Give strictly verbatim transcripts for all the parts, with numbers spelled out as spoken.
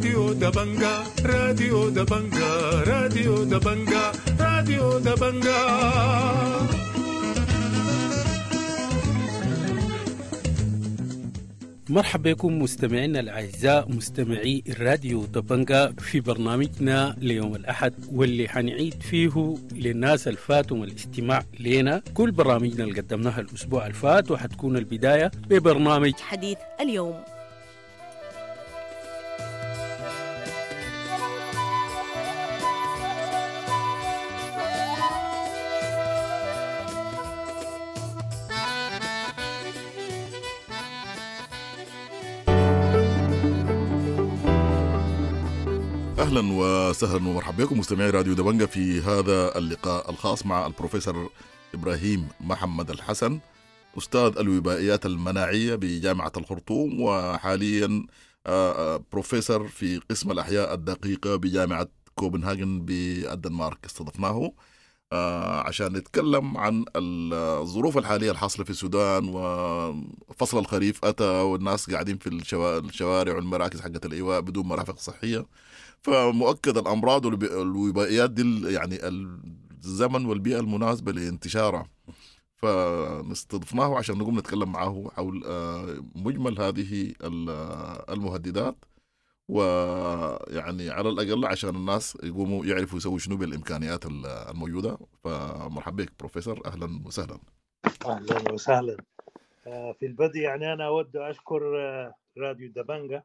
راديو دبنجا، راديو دبنجا، راديو دبنجا، راديو دبنجا. مرحبا بكم مستمعينا الأعزاء مستمعي الراديو دبنجا في برنامجنا ليوم الأحد، واللي حنعيد فيه للناس الفاتهم الاستماع لنا كل برامجنا اللي قدمناها الأسبوع الفات، وحتكون البداية ببرنامج حديث اليوم. اهلا وسهلا ومرحبا بكم مستمعي راديو دبنجا في هذا اللقاء الخاص مع البروفيسور ابراهيم محمد الحسن، استاذ الوبائيات المناعية بجامعة الخرطوم، وحاليا بروفيسور في قسم الاحياء الدقيقة بجامعة كوبنهاجن بالدنمارك. استضفناه عشان نتكلم عن الظروف الحالية الحاصلة في السودان، وفصل الخريف اتى والناس قاعدين في الشوارع والمراكز حقت الايواء بدون مرافق صحية، فمؤكد الأمراض والوبائيات دي يعني الزمن والبيئة المناسبة لانتشارها، فاستضفناه عشان نقوم نتكلم معه حول مجمل هذه المهددات، ويعني على الأقل عشان الناس يقوموا يعرفوا يسووا شنو بالإمكانيات الموجودة. فمرحبا بك بروفيسور، أهلا وسهلا. أهلا وسهلا. في البدء يعني أنا أود أشكر راديو دبنجا،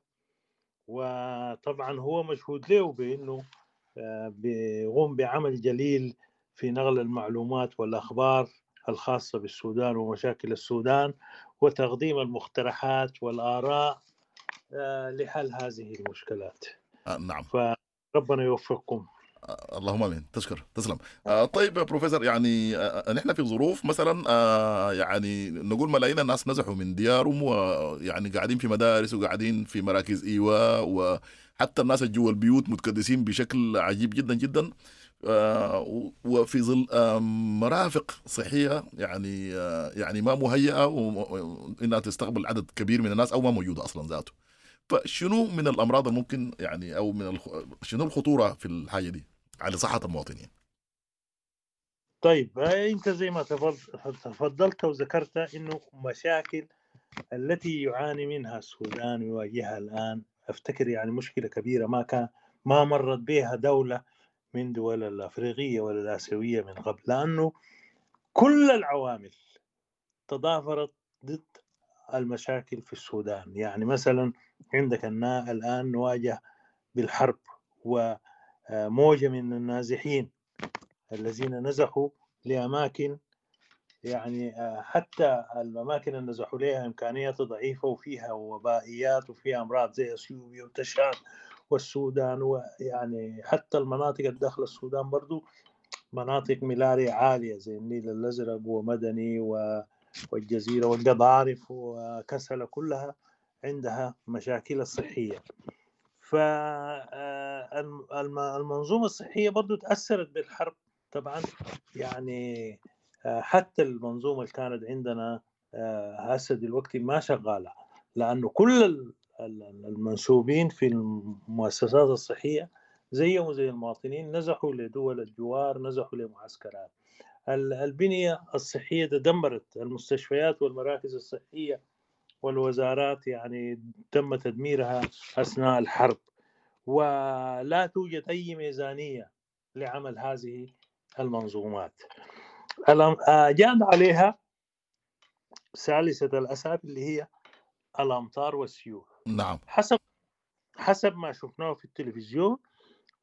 وطبعا هو مشهود له بأنه بيقوم بعمل جليل في نقل المعلومات والأخبار الخاصة بالسودان ومشاكل السودان، وتقديم المقترحات والآراء لحل هذه المشكلات. آه نعم، فربنا يوفقكم. آه اللهم امين، تشكر، تسلم. آه طيب يا بروفيسور، يعني آه نحن في ظروف مثلا آه يعني نقول ملايين الناس نزحوا من ديارهم، ويعني قاعدين في مدارس وقاعدين في مراكز ايواء، وحتى الناس اللي جوا البيوت متكدسين بشكل عجيب جدا جدا، آه وفي ظل آه مرافق صحية يعني آه يعني ما مهيئة انها تستقبل عدد كبير من الناس او ما موجودة اصلا ذاته. فشنو من الامراض الممكن يعني او من الخ... شنو الخطورة في الحاجة دي على صحة المواطنين؟ طيب انت زي ما تفضلت وذكرت انه مشاكل التي يعاني منها السودان ويواجهها الان، افتكر يعني مشكلة كبيرة ما كان ما مرت بها دولة من دول الافريقية ولا الاسيوية من قبل، لانه كل العوامل تضافرت ضد المشاكل في السودان. يعني مثلا عندك الآن نواجه بالحرب وموجة من النازحين الذين نزحوا لأماكن، يعني حتى الأماكن اللي نزحوا لها إمكانيات ضعيفة وفيها وبائيات وفيها أمراض زي أثيوبيا وتشاد والسودان، ويعني حتى المناطق الداخل السودان برضو مناطق ملاريا عالية زي النيل الأزرق ومدني و والجزيرة والقضارف وكسلة، كلها عندها مشاكل الصحية. فالمنظومة الصحية برضو تأثرت بالحرب طبعا، يعني حتى المنظومة اللي كانت عندنا هسه دلوقتي ما شغالة، لأنه كل المنسوبين في المؤسسات الصحية زيهم زي المواطنين نزحوا لدول الجوار، نزحوا لمعسكرات. البنية الصحية تدمرت، المستشفيات والمراكز الصحية والوزارات يعني تم تدميرها أثناء الحرب، ولا توجد أي ميزانية لعمل هذه المنظومات. جاء عليها ثالثة الأسباب اللي هي الأمطار والسيول. نعم، حسب حسب ما شفناه في التلفزيون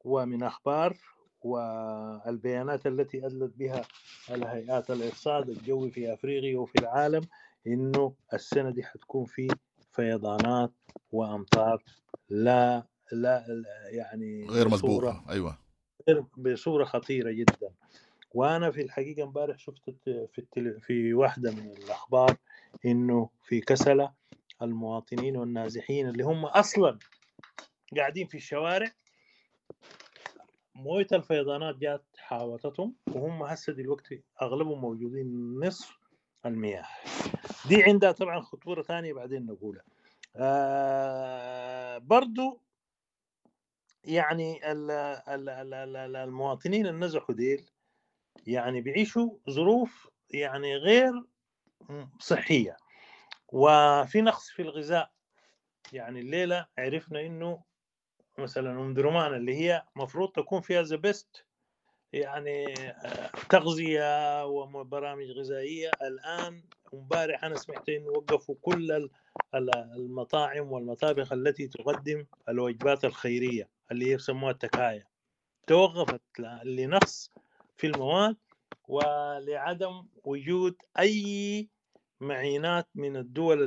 ومن أخبار والبيانات التي أدلت بها الهيئات الإرصاد الجوي في أفريقيا وفي العالم، إنه السنة دي حتكون في فيضانات وأمطار لا لا يعني غير مسبوقة، أيوة، بصورة خطيرة جدا. وأنا في الحقيقة امبارح شفت في التل... في واحدة من الأخبار إنه في كسلة المواطنين والنازحين اللي هم أصلا قاعدين في الشوارع موية الفيضانات جات حاوطتهم، وهم هسه دلوقتي اغلبهم موجودين نصف المياه دي. عندها طبعا خطورة ثانية بعدين نقولها. آه برضو يعني ال ال ال المواطنين النزحوا ديل يعني بيعيشوا ظروف يعني غير صحية، وفي نقص في الغذاء. يعني الليلة عرفنا إنه مثلا أم درمان اللي هي مفروض تكون فيها the best يعني تغذية وبرامج غذائية، الآن امبارح أنا سمعت إنه وقفوا كل المطاعم والمطابخ التي تقدم الوجبات الخيرية اللي هي يسموها التكايا، توقفت لنقص في المواد ولعدم وجود أي معينات من الدول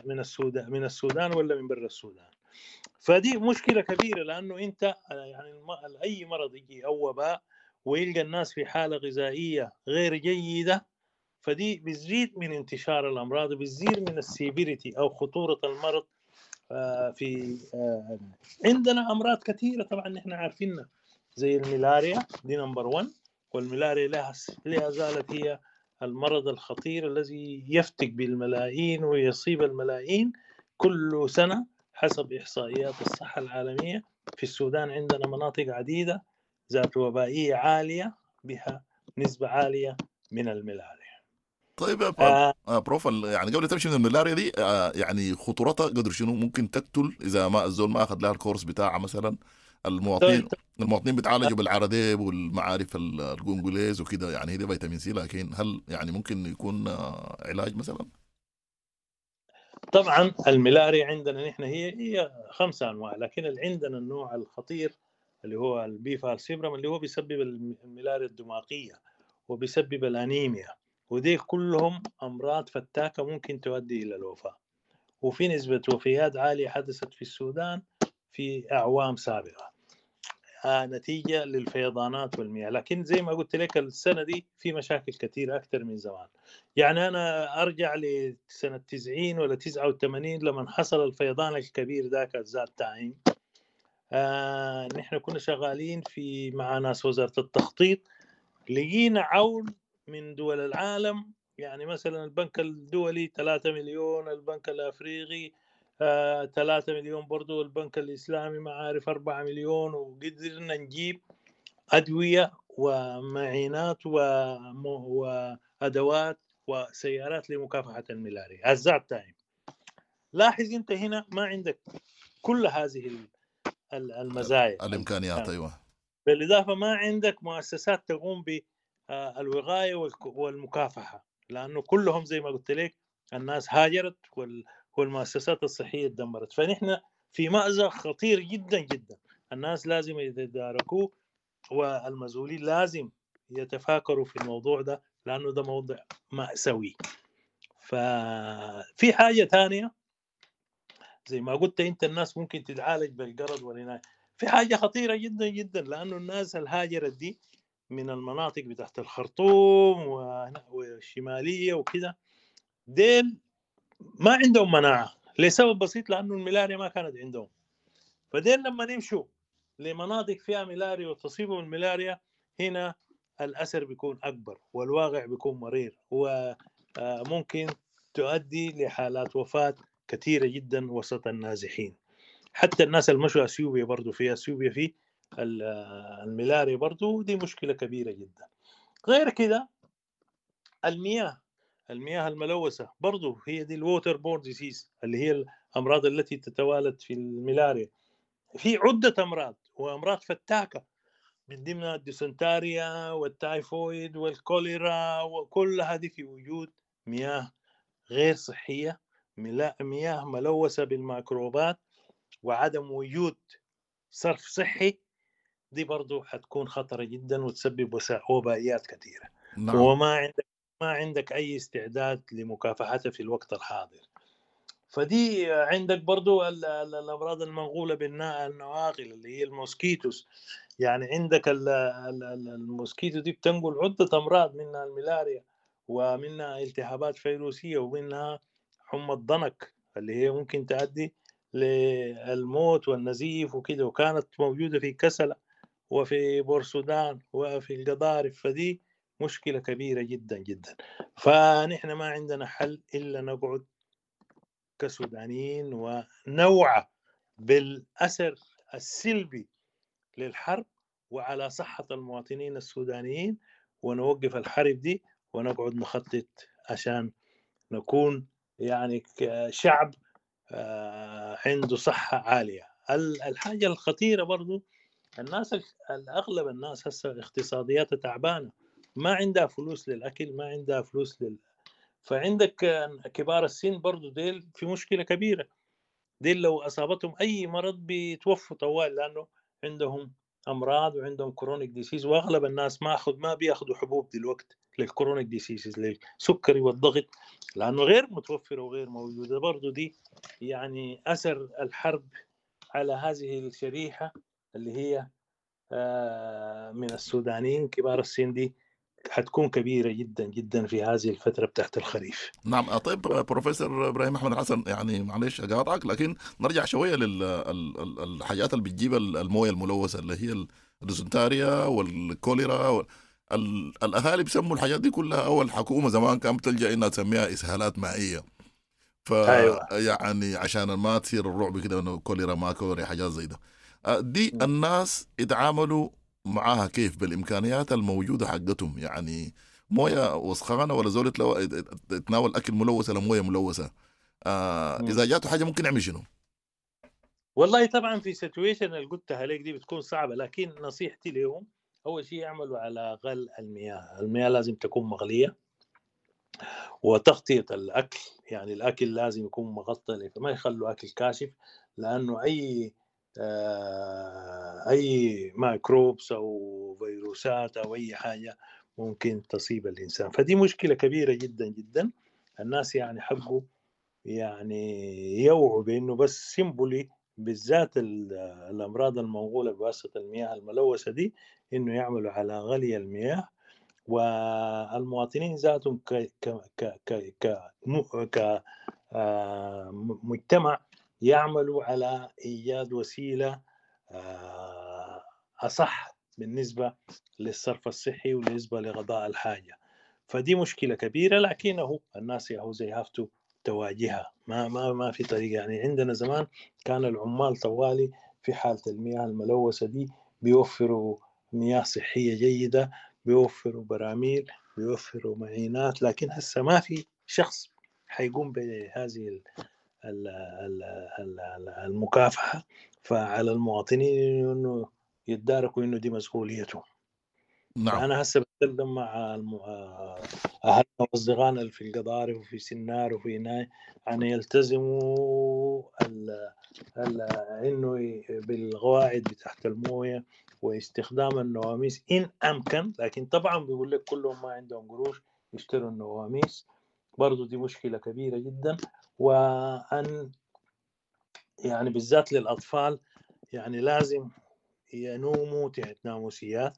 من السودان من السودان ولا من برا السودان. فدي مشكلة كبيرة، لأنه أنت يعني أي مرض يجي أو وباء ويلقى الناس في حالة غذائية غير جيدة، فدي بتزيد من انتشار الأمراض، بتزيد من السيفيريتي أو خطورة المرض. في عندنا أمراض كثيرة طبعا نحن عارفينها زي الملاريا، دي number واحد، والملاريا لها لا زالت هي المرض الخطير الذي يفتك بالملايين ويصيب الملايين كل سنة حسب إحصائيات الصحة العالمية. في السودان عندنا مناطق عديدة ذات وبائية عالية بها نسبة عالية من الملاريا. طيب يا آه بروف، يعني قبل تمشي من الملاريا دي آه يعني خطورتها قدر شنو؟ ممكن تقتل إذا ما الزول ما أخذ لها ال course بتاعها مثلا؟ المواطنين المواطنين بيتعالجوا بالعرديب والمعارف الجونجوليز وكده، يعني هي دي فيتامين سي، لكن هل يعني ممكن يكون علاج مثلا؟ طبعا الملاريا عندنا نحن هي هي خمسة انواع، لكن اللي عندنا النوع الخطير اللي هو ال P falciparum اللي هو بيسبب الملاريا الدماغية وبيسبب الانيميا، ودي كلهم امراض فتاكة ممكن تؤدي الى الوفاة، وفي نسبة وفيات عالية حدثت في السودان في اعوام سابقة نتيجة للفيضانات والمياه. لكن زي ما قلت لك السنة دي في مشاكل كثيرة أكثر من زمان. يعني أنا أرجع لسنة تسعين ولا تسعة وثمانين لما حصل الفيضان الكبير ذاك that time، آه نحن كنا شغالين في مع ناس وزارة التخطيط، لقينا عون من دول العالم، يعني مثلا البنك الدولي ثلاثة مليون، البنك الأفريقي ثلاثة مليون، برضو البنك الإسلامي ما عارف أربعة مليون، وقدرنا نجيب أدوية ومعينات وأدوات وسيارات لمكافحة الملاريا at that time. لاحظ أنت هنا ما عندك كل هذه المزايا الإمكانيات. أيوة، بالإضافة ما عندك مؤسسات تقوم بالوقاية والمكافحة، لأنه كلهم زي ما قلت لك الناس هاجرت وال والمؤسسات الصحية تدمرت. فنحن في مأزق خطير جدا جدا، الناس لازم يتداركوه والمسؤولين لازم يتفاكروا في الموضوع ده، لأنه ده موضوع مأساوي. ففي حاجة ثانية زي ما قلت أنت، الناس ممكن تتعالج بالقرض والعناية. في حاجة خطيرة جدا جدا، لأنه الناس الهاجرت دي من المناطق بتاعت الخرطوم والشمالية وكده، ديل ما عندهم مناعة لسبب بسيط، لأنه الملاريا ما كانت عندهم. فدين لما نمشوا لمناطق فيها ملاريا وتصيبهم الملاريا، هنا الأثر بيكون أكبر والواقع بيكون مرير، وممكن تؤدي لحالات وفاة كثيرة جدا وسط النازحين. حتى الناس اللي مشوا أثيوبيا برضو، في أثيوبيا في الملاريا برضو، دي مشكلة كبيرة جدا. غير كده المياه، المياه الملوثة برضو هي دي ال water borne disease اللي هي الأمراض التي تتوالد في الملاريا. في عدة أمراض وأمراض فتاكة من ضمنها الديسنتاريا والتايفويد والكوليرا، وكل هذه في وجود مياه غير صحية، مياه ملوثة بالميكروبات وعدم وجود صرف صحي، دي برضو حتكون خطرة جدا وتسبب وبائيات كثيرة. نعم. وما عندك ما عندك أي استعداد لمكافحتها في الوقت الحاضر. فدي عندك برضو الأمراض المنقولة بالنواقل اللي هي ال mosquitoes. يعني عندك ال mosquito دي بتنقل عدة أمراض، منها الملاريا ومنها التهابات فيروسية ومنها حمى الضنك اللي هي ممكن تؤدي للموت والنزيف وكده، وكانت موجودة في كسلة وفي بورسودان وفي القضارف. فدي مشكلة كبيرة جدا جدا. فنحن ما عندنا حل إلا نقعد كسودانيين ونوعى بالأثر السلبي للحرب وعلى صحة المواطنين السودانيين، ونوقف الحرب دي ونقعد نخطط عشان نكون يعني شعب عنده صحة عالية. الحاجة الخطيرة برضو الناس، الأغلب الناس هسه اقتصادياتها تعبانة، ما عندها فلوس للأكل، ما عندها فلوس لل... فعندك كبار السن برضو ديل في مشكلة كبيرة، ديل لو أصابتهم أي مرض بيتوفوا طوال، لأنه عندهم أمراض وعندهم chronic disease، وأغلب الناس ما أخذ ما بياخذوا حبوب دلوقتي لل chronic diseases للسكري والضغط، لأنه غير متوفرة وغير موجودة. برضو دي يعني أثر الحرب على هذه الشريحة اللي هي من السودانيين كبار السن دي حتكون كبيرة جدا جدا في هذه الفترة بتاعت الخريف. نعم. طيب بروفيسور إبراهيم أحمد حسن، يعني معلش أقاطعك، لكن نرجع شوية للحاجات اللي بتجيب الموية الملوثة اللي هي الديزنتاريا والكوليرا وال... الأهالي بيسموا الحاجات دي كلها، أو الحكومة زمان كانت بتلجأ إنها تسميها إسهالات مائية، ف أيوة. يعني عشان ما تصير الرعب كده إنه كوليرا ما كوليرا حاجات زي ده. دي م. الناس يتعاملوا معاها كيف بالإمكانيات الموجودة حقتهم؟ يعني موية وسخانة ولا زول يتناول أكل ملوث ولا موية ملوثة، آه إذا جاته حاجة ممكن يعمل شنو؟ والله طبعا في situation اللي قلتها لك دي بتكون صعبة، لكن نصيحتي لهم أول شيء يعملوا على غل المياه، المياه لازم تكون مغلية، وتغطية الأكل، يعني الأكل لازم يكون مغطى، ما يخلوا أكل كاشف، لأنه أي اي microbes او فيروسات او اي حاجة ممكن تصيب الانسان. فدي مشكلة كبيرة جدا جدا. الناس يعني حقه يعني يوعوا بانه بس simply بالذات الامراض المنقولة بواسطة المياه الملوثة دي، انه يعملوا على غلي المياه، والمواطنين ذاتهم ك ك ك ك ك مجتمع يعملوا على إيجاد وسيلة أصح بالنسبة للصرف الصحي وبالنسبة لغضاء الحاجة. فدي مشكلة كبيرة، لكنه الناس يهو زي هافتو تواجهها، ما ما ما في طريقة. يعني عندنا زمان كان العمال طوالي في حالة المياه الملوثة دي بيوفروا مياه صحية جيدة، بيوفروا براميل، بيوفروا معينات، لكن هسه ما في شخص حيقوم بهذه المكافحة. فعلى المواطنين انه يتداركوا انه دي مسؤوليتهم. نعم. انا هسه بتكلم مع اهلنا واصدقائنا اللي في القضارف وفي سنار وفي ناي، يعني يلتزموا ال ال انه بالقواعد بتاعت المويه واستخدام النواميس ان امكن، لكن طبعا بيقول لك كلهم ما عندهم قروش يشتروا النواميس، برضو دي مشكلة كبيرة جدا. وأن يعني بالذات للأطفال يعني لازم ينوموا تحت ناموسيات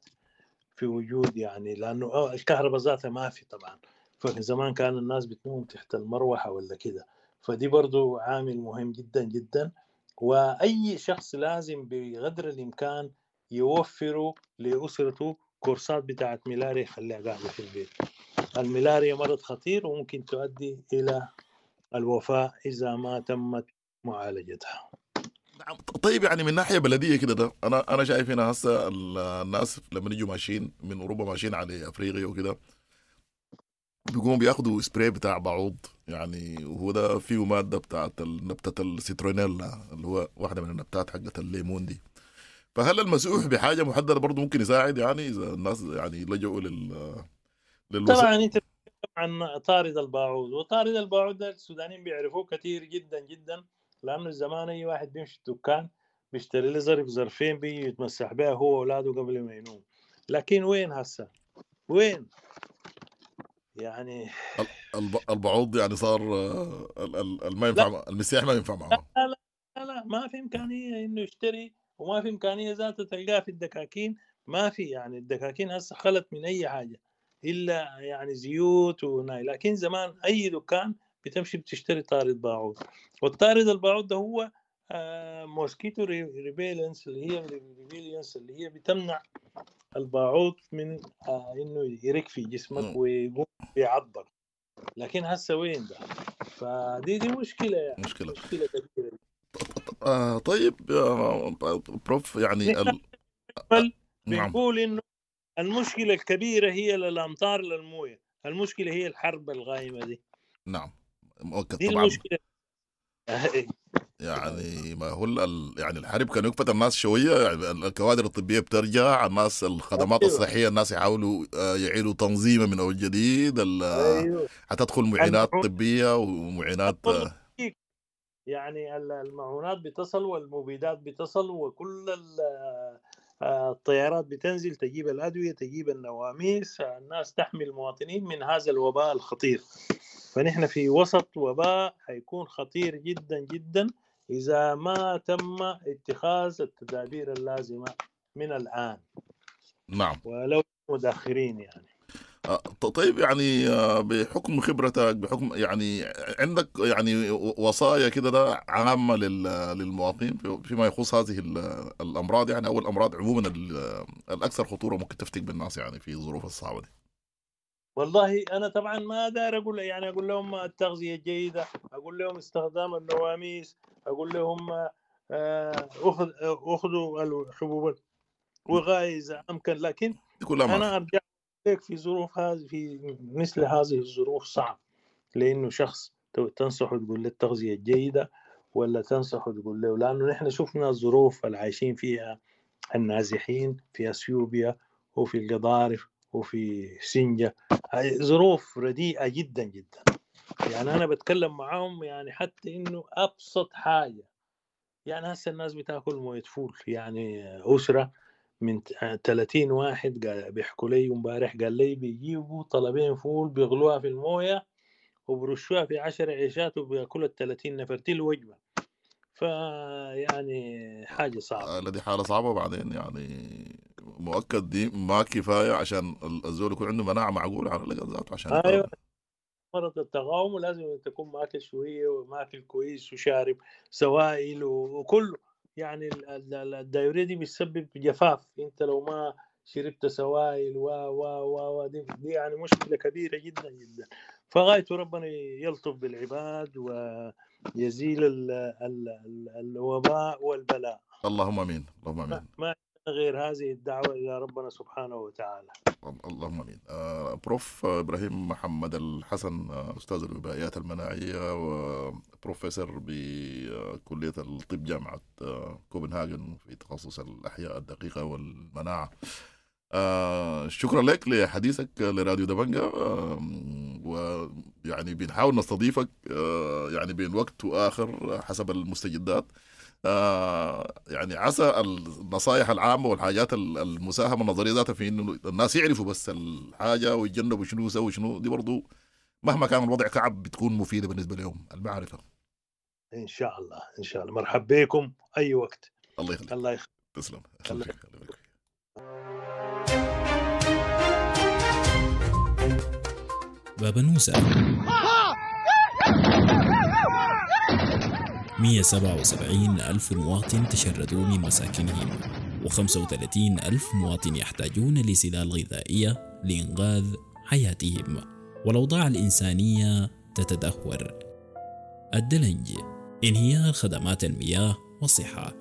في وجود، يعني لأنه الكهرباء ذاتها ما في طبعا، فزمان كان الناس بتنوم تحت المروحة ولا كده، فدي برضو عامل مهم جدا جدا. وأي شخص لازم بقدر الإمكان يوفروا لأسرته كورسات بتاعت ملاريا يخليها قاعدة في البيت. الملاريا مرض خطير وممكن تؤدي إلى الوفاة إذا ما تمت معالجتها. نعم. طيب يعني من ناحية بلدية كده، ده أنا أنا شايف هنا هسه الناس لما يجوا ماشيين من أوروبا ماشيين على أفريقيا وكده، بيقوموا بياخدوا سبراي بتاع بعوض، يعني وهو ده فيه مادة بتاعت نبتة السيترونيلا اللي هو واحدة من النبتات حقت الليمون دي. فهل المسؤول بحاجة محددة برضه ممكن يساعد، يعني إذا الناس يعني لجؤوا لل للوس... طبعا أنت عن طارد الباعوض، وطارد الباعوض ده السودانيين بيعرفوه كثير جدا جدا، لأنه زمان أي واحد بيمشي الدكان بيشتري له ظرف ظرفين بيجي يتمسح بها هو وأولاده قبل ما ينوم. لكن وين هسه؟ وين؟ يعني البعوض يعني صار ما ينفع، المسيح ما ينفع معه. لا لا لا، ما في إمكانية إنه يشتري، وما في إمكانية ذاته تلقاه في الدكاكين، ما في. يعني الدكاكين هسه خلت من أي حاجة إلا يعني زيوت وناي، لكن زمان أي دكان بتمشي بتشتري طارد باعوض، والطارد الباعوض ده هو mosquito repellents اللي هي repellents اللي هي بتمنع الباعوض من آه انه يرك في جسمك ويقوم بيعضك. لكن هسه وين ده؟ فدي دي مشكلة، يعني مشكلة مشكلة كبيرة. آه طيب يا بروف، يعني ال... بل نعم. بنقول انه المشكلة الكبيرة هي للامطار للمويه، المشكلة هي الحرب القائمة دي. نعم مؤكد دي طبعا المشكلة. يعني ما هو ال- يعني الحرب كان يكفت الناس شوية، يعني الكوادر الطبية بترجع، الناس الخدمات أيوة. الصحية الناس يحاولوا آه، يعيدوا تنظيمها من اول جديد، ال- ايوه حتدخل معينات المعونات طبية ومعينات آه، يعني ال- المعونات بتصل والمبيدات بتصل وكل ال- آه، الطيارات بتنزل تجيب الأدوية تجيب النواميس، الناس تحمي المواطنين من هذا الوباء الخطير. فنحن في وسط وباء حيكون خطير جدا جدا إذا ما تم اتخاذ التدابير اللازمة من الآن، نعم ولو متأخرين يعني. آه، طيب يعني آه، بحكم خبرتك، بحكم يعني عندك يعني وصايا كده ده عامة لل- للمواطنين فيما يخص هذه ال- الأمراض يعني، أو الأمراض عموما ال- الأكثر خطورة ممكن تفتك بالناس يعني في الظروف الصعبة دي؟ والله أنا طبعا ما دار أقول يعني، أقول لهم التغذية الجيدة، أقول لهم استخدام النواميس، أقول لهم آه، أخذ أخذوا الحبوب الوقائية إذا أمكن، لكن دي كلها ما أنا في. أرجع لك في ظروف هذه، في مثل هذه الظروف صعب، لأنه شخص تنصحه تقول له التغذية الجيدة ولا تنصحه تقول له، لأنه نحن شفنا الظروف اللي عايشين فيها النازحين في أثيوبيا وفي القضارف وفي سنجة، ظروف رديئة جدا جدا. يعني أنا بتكلم معاهم يعني حتى إنه أبسط حاجة، يعني هسه الناس بتاكل موية فول، يعني أسرة من ثلاثين واحد قال بيحكوا لي امبارح، قال لي بيجيبوا طلبين فول بيغلوها في المويه وبرشوها في عشر عيشات وبياكلوا ال ثلاثين نفر، دي الوجبة. فيعني حاجة صعبة. آه، دي حالة صعبة. وبعدين يعني مؤكد دي ما كفاية عشان الزول يكون عنده مناعة معقولة على الأقل ذاته عشان ايوه مرض التقاوم، ولازم تكون ماكل شوية وماكل كويس وشارب سوائل وكله. يعني ال diarrhea دي بتسبب جفاف، انت لو ما شربت سوائل و و و دي, دي يعني مشكلة كبيرة جدا جدا. فغايته ربنا يلطف بالعباد ويزيل ال ال ال الوباء والبلاء. اللهم امين، اللهم امين. ما غير هذه الدعوة الى ربنا سبحانه وتعالى. اللهم امين. آه، بروف ابراهيم محمد الحسن، آه، استاذ الوبائيات المناعية وبروفيسور بكلية الطب جامعه آه، كوبنهاجن في تخصص الاحياء الدقيقة والمناعة. آه، شكرا لك لحديثك لراديو دبنجة، آه، ويعني بنحاول نستضيفك آه، يعني بين وقت واخر حسب المستجدات. آه يعني عسى النصائح العامة والحاجات المساهمة النظرية ذاتها في انه الناس يعرفوا بس الحاجة ويتجنبوا شنو يسوي شنو، دي برضو مهما كان الوضع كعب بتكون مفيدة بالنسبة لهم المعرفة. ان شاء الله، ان شاء الله. مرحبا بكم اي وقت. الله يخليك. الله يخليك. تسلم. الله يخليك. بابنوسة مئة وسبعة وسبعين ألف مواطن تشردوا من مساكنهم، وخمسة وثلاثين ألف مواطن يحتاجون لسلال غذائية لإنقاذ حياتهم، والأوضاع الإنسانية تتدهور. الدلنج، انهيار خدمات المياه والصحة،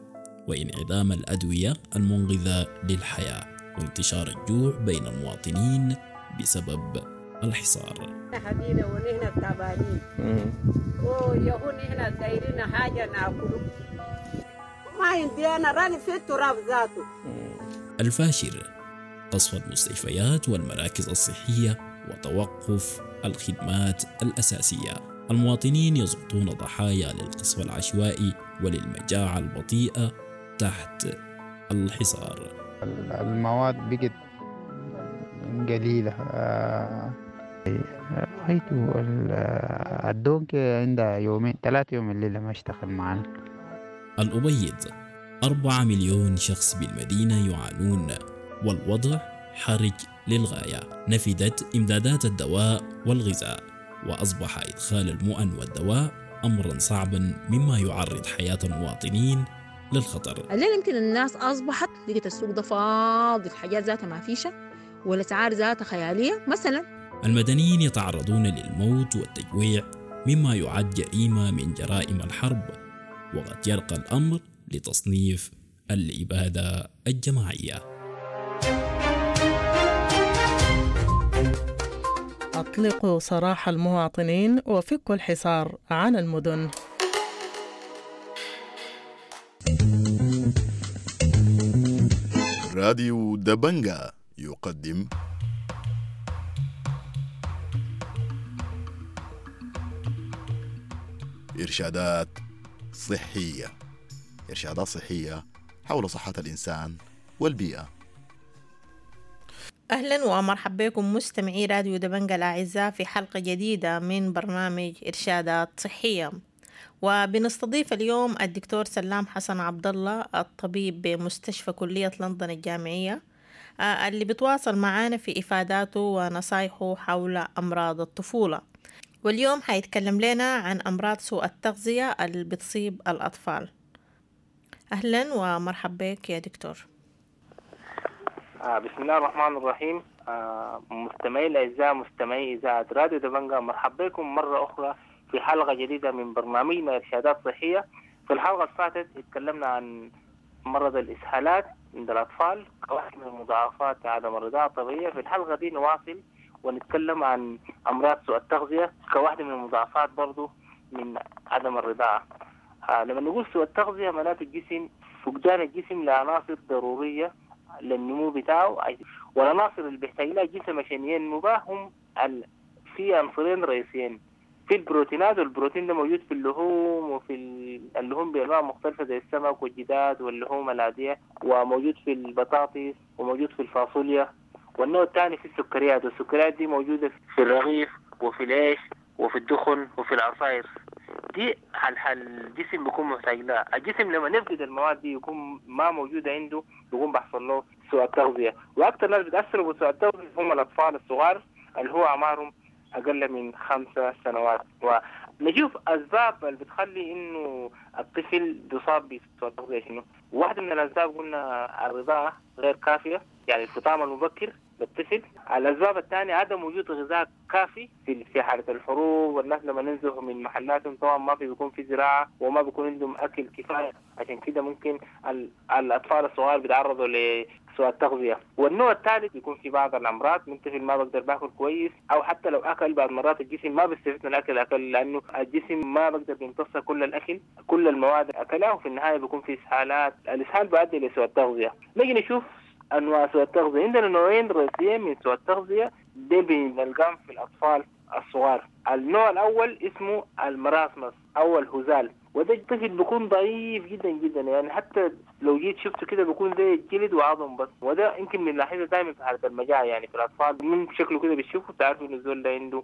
وانعدام الأدوية المنقذة للحياة، وانتشار الجوع بين المواطنين بسبب الحصار. حبينا ونحن تعبانين ويهون نحن دايرين حاجة ناكله ما عندي أنا راني في التراب ذاته. الفاشر، قصف المستشفيات والمراكز الصحية وتوقف الخدمات الأساسية. المواطنين يسقطون ضحايا للقصف العشوائي وللمجاعة البطيئة تحت الحصار. المواد بقت قليلة. غايته الدونك عندها يومين ثلاثة يوم الليلة ما اشتغل معنا. الأبيض، أربعة مليون شخص بالمدينة يعانون والوضع حرج للغاية. نفدت إمدادات الدواء والغذاء، وأصبح إدخال المؤن والدواء أمرا صعبا، مما يعرض حياة المواطنين للخطر. الليلة يمكن الناس أصبحت لقيت السوق ده فاضي، الحاجات ذاتها ما فيشة والأسعار ذاتها خيالية مثلا. المدنيين يتعرضون للموت والتجويع، مما يعد جريمة من جرائم الحرب، وقد يرقى الأمر لتصنيف الإبادة الجماعية. أطلقوا سراح المواطنين وفكوا الحصار عن المدن. راديو دبنجا يقدم إرشادات صحية. إرشادات صحية حول صحة الإنسان والبيئة. أهلا ومرحبا بكم مستمعي راديو دبنجا الأعزاء في حلقة جديدة من برنامج إرشادات صحية، وبنستضيف اليوم الدكتور سلام حسن عبد الله الطبيب بمستشفى كلية لندن الجامعية، اللي بتواصل معانا في إفاداته ونصايحه حول أمراض الطفولة. واليوم حيتكلم لنا عن أمراض سوء التغذية اللي بتصيب الأطفال. أهلا ومرحبا بك يا دكتور. آه بسم الله الرحمن الرحيم. آه مستمعي الأعزاء مستمعي إذاعة راديو دبنجا، مرحبا بكم مرة أخرى في حلقة جديدة من برنامجنا إرشادات صحية. في الحلقة اللي فاتت اتكلمنا عن مرض الإسهالات عند الأطفال كواحد من المضاعفات عدم الرضاعة الطبيعية. في الحلقة دي نواصل ونتكلم عن أمراض سوء التغذية كواحدة من المضاعفات برضو من عدم الرضاعة. آه لما نقول سوء التغذية معناته الجسم فقدان الجسم لعناصر ضرورية للنمو بتاعه، والعناصر اللي بيحتاج لها الجسم عشان ينمو بها هم ال... في عنصرين رئيسيين، في البروتينات، والبروتين ده موجود في اللحوم وفي اللحوم بأنواع مختلفة زي السمك والجداد واللحوم العادية، وموجود في البطاطس وموجود في الفاصوليا. والنوع الثاني في السكريات، والسكريات دي موجودة في الرغيف وفي العيش وفي الدخن وفي العصائر. دي حال الجسم بيكون محتاج لها. الجسم لما نفقد المواد دي يكون ما موجودة عنده بيكون بيحصل له سوء التغذية. وأكثر ناس بتأثروا بسوء التغذية هم الأطفال الصغار اللي هو أعمارهم أقل من خمسة سنوات. ونشوف أسباب اللي بتخلي إنه الطفل بيصاب بسوء التغذية شنو. واحدة من الأسباب قلنا الرضاعة غير كافية، يعني الفطام المبكر للطفل. الأسباب الثانية عدم وجود غذاء كافي في في حالة الحروب، والناس لما ننزلوا من محلاتهم طبعا ما في بيكون في زراعة وما بيكون عندهم أكل كفاية، عشان كده ممكن الأطفال الصغار بيتعرضوا لسوء التغذية. والنوع الثالث بيكون في بعض الأمراض، من طفل ما بقدر باكل كويس، أو حتى لو أكل بعض مرات الجسم ما بيستفيد من الأكل أكل لأنه الجسم ما بقدر بيمتص كل الأكل كل المواد أكلها، وفي النهاية بيكون في إسهالات. الإسهال بيؤدي لسوء التغذية. نيجي نشوف أنواع سوء التغذية. عندنا نوعين رئيسيين من سوء التغذية دي بنلقاهم في الأطفال الصغار. النوع الأول اسمه المراسمس أو الهزال، وده الطفل بيكون ضعيف جدا جدا، يعني حتى لو جيت شفته كده بيكون زي الجلد وعظم بس. وده يمكن بنلاحظه دائما في حالة المجاعة، يعني في الأطفال من شكله كده بتشوفه تعرفوا إنه الزول ده عنده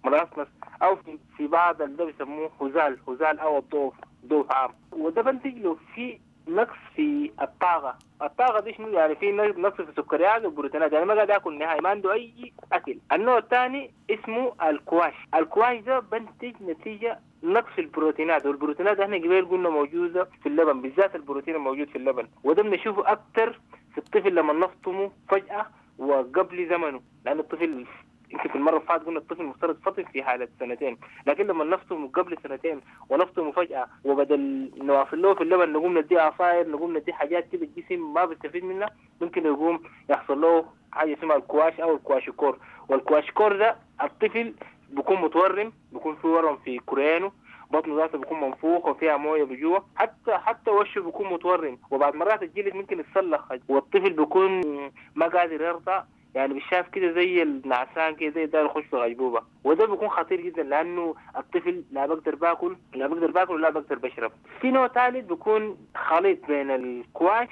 مراسمس، أو في بعض ده بيسموه هزال، هزال أو الضعف، ضعف عام. وده بنتج له في نقص في الطاقة. الطاقة دي شنو؟ يعني في نقص في السكريات والبروتينات، يعني ما قاعد ياكل نهائي، ما عنده أي أكل. النوع الثاني اسمه الكواش. الكواش ده بنتج نتيجة نقص في البروتينات، والبروتينات احنا قبل قلنا موجودة في اللبن، بالذات البروتين الموجود في اللبن، وده بنشوفه أكثر في الطفل لما نفطمه فجأة وقبل زمنه، لأن الطفل يمكن في المرة اللي فاتت قلنا الطفل المفترض فطم في حالة سنتين، لكن لما نفطمه قبل سنتين ونفطمه فجأة وبدل نواصل له في اللبن نقوم نديه عصاير، نقوم نديه حاجات كده الجسم ما بيستفيد منها، ممكن يقوم يحصل له حاجة اسمها الكواش أو الكواشيكور. والكواشيكور ده الطفل بيكون متورم، بيكون في ورم في كريانه، بطنه ذاته بيكون منفوخ وفيها مويه بجوه، حتى حتى وشه بيكون متورم، وبعد مرات الجلد ممكن يتسلخ، والطفل بيكون ما قادر يرضع، يعني بيشاف كده زي النعسان كده زي ده يخش في غيبوبة. وده بيكون خطير جدا لأنه الطفل لا بقدر باكل لا بقدر باكل ولا بقدر بشرب. في نوع ثالث بيكون خليط بين الكواش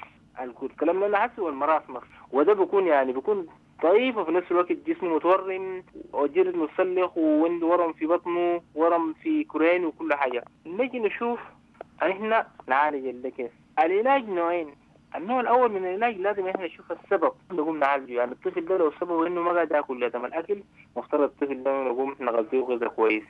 الكلام اللي أنا حاسه والمراسمس، وده بيكون يعني بيكون ضعيف وفي نفس الوقت جسمه متورم وجلد متسلخ وعنده ورم في بطنه ورم في كرين وكل حاجة. نجي نشوف احنا نعالج ده كيف. العلاج نوعين. النوع الأول من العلاج لازم احنا نشوف السبب نقوم نعالجه، يعني الطفل ده لو سببه إنه ما قاعد ياكل لازم الأكل، مفترض الطفل ده نقوم نغذيه غذاء كويس.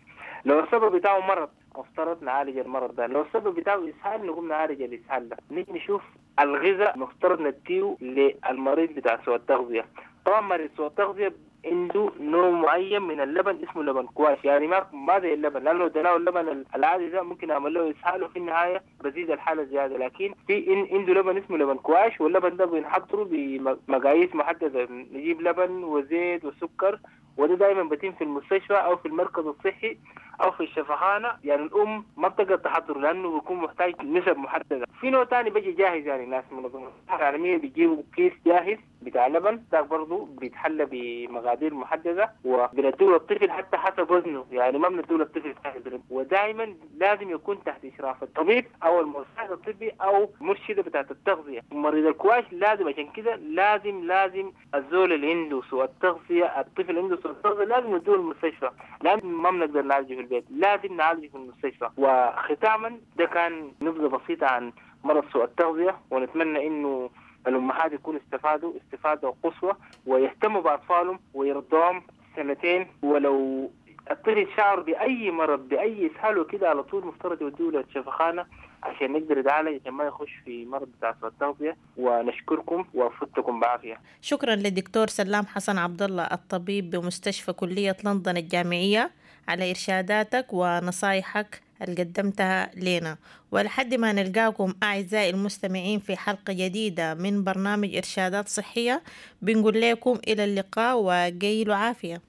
لو السبب بتاعه مرض مفترض نعالج المرض ده، لو السبب بتاعه إسهال نقوم نعالج الإسهال ده. نيجي نشوف الغذاء مفترض نديه للمريض بتاع سوء التغذية. طبعا مريض سوء التغذية عنده نوع معين من اللبن اسمه لبن كواش، يعني ما ما زي اللبن، لانه لو اديناه اللبن العادي ده ممكن اعمل له اسهال وفي النهايه بزيد الحاله زياده، لكن في إن عنده لبن اسمه لبن كواش، واللبن ده بنحضره بمقاييس محدده، نجيب لبن وزيت وسكر وده دائما بتم في المستشفى او في المركز الصحي او في الشفخانه. يعني الام ما بتقدر تحضره لانه بيكون محتاج نسب محددة. في نوع ثاني بيجي جاهز، يعني ناس منظمة الصحة العالمية بيجيبوا كيس جاهز بتاع لبن، ده برضه بيتحلى بمقادير محددة وبنديه للطفل حتى حسب وزنه، يعني ما بنديه للطفل جاهز. ودائما لازم يكون تحت اشراف الطبيب او المساعد الطبي او مرشده بتاعت التغذية. مريض الكواش لازم، عشان كده لازم لازم الزول اللي عنده سوء التغذية، الطفل اللي عنده سوء التغذية لازم يدوه المستشفى، لان ما بنقدر نعالجه في البيت، لازم نعالجه في المستشفى. وختاما ده كان نبذه بسيطة عن مرض سوء التغذية، ونتمنى انه الامهات يكونوا استفادوا استفاده قصوى ويهتموا باطفالهم ويرضوهم سنتين. ولو الطفل شعر باي مرض باي اسهال وكده على طول مفترض يودوه للشفخانه عشان نقدر يتعالج، عشان ما يخش في مرض بتاع سوء التغذية. ونشكركم وفتكم بعافية. شكرا للدكتور سلام حسن عبد الله الطبيب بمستشفى كلية لندن الجامعية على إرشاداتك ونصايحك اللي قدمتها لنا. ولحد ما نلقاكم أعزائي المستمعين في حلقة جديدة من برنامج إرشادات صحية، بنقول لكم إلى اللقاء وقيلوا عافية.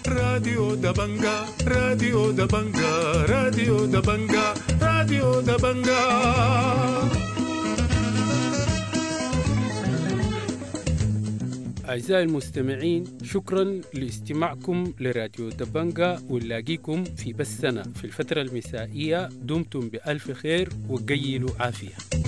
راديو دبنجا، راديو دبنجا، راديو دبنجا، راديو دبنجا. أعزائي المستمعين، شكرا لاستماعكم لراديو دبنجا، ونلاقيكم في بثنا في الفترة المسائية. دمتم بألف خير وقيلوا عافية.